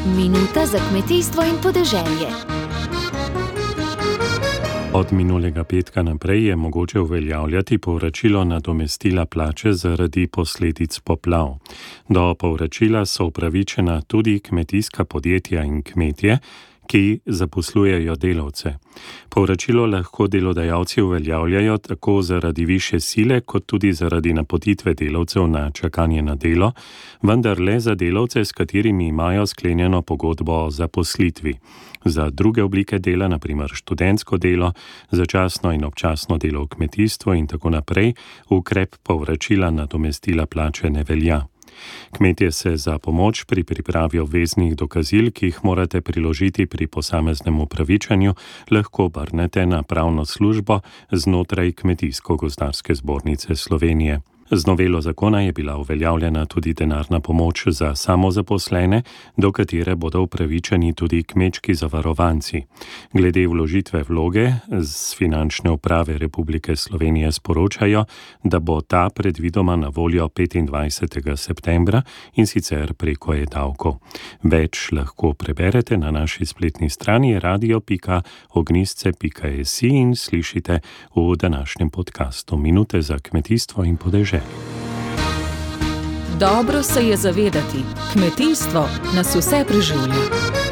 Minuta za kmetijstvo in podeželje. Od minulega petka naprej je mogoče uveljavljati povračilo nadomestila plače zaradi posledic poplav. Do povračila so upravičena tudi kmetijska podjetja in kmetje, ki zaposlujejo delavce. Povračilo lahko delodajalci uveljavljajo tako zaradi višje sile, kot tudi zaradi napotitve delavcev na čakanje na delo, vendar le za delavce, s katerimi imajo sklenjeno pogodbo o zaposlitvi. Za druge oblike dela, na primer študentsko delo, začasno in občasno delo v kmetijstvu in tako naprej, ukrep povračila nadomestila plače ne velja. Kmetje se za pomoč pri pripravi obveznih dokazil, ki jih morate priložiti pri posameznem upravičenju, lahko obrnete na pravno službo znotraj Kmetijsko-gozdarske zbornice Slovenije. Z novelo zakona je bila uveljavljena tudi denarna pomoč za samozaposlene, do katere bodo upravičeni tudi kmečki zavarovanci. Glede vložitve vloge z Finančne uprave Republike Slovenije sporočajo, da bo ta predvidoma na voljo 25. septembra in sicer preko e-davkov. Več lahko preberete na naši spletni strani radio.ognistce.si in slišite v današnjem podcastu Minute za kmetijstvo in podeželje. Dobro se je zavedati, kmetijstvo nas vse preživlja.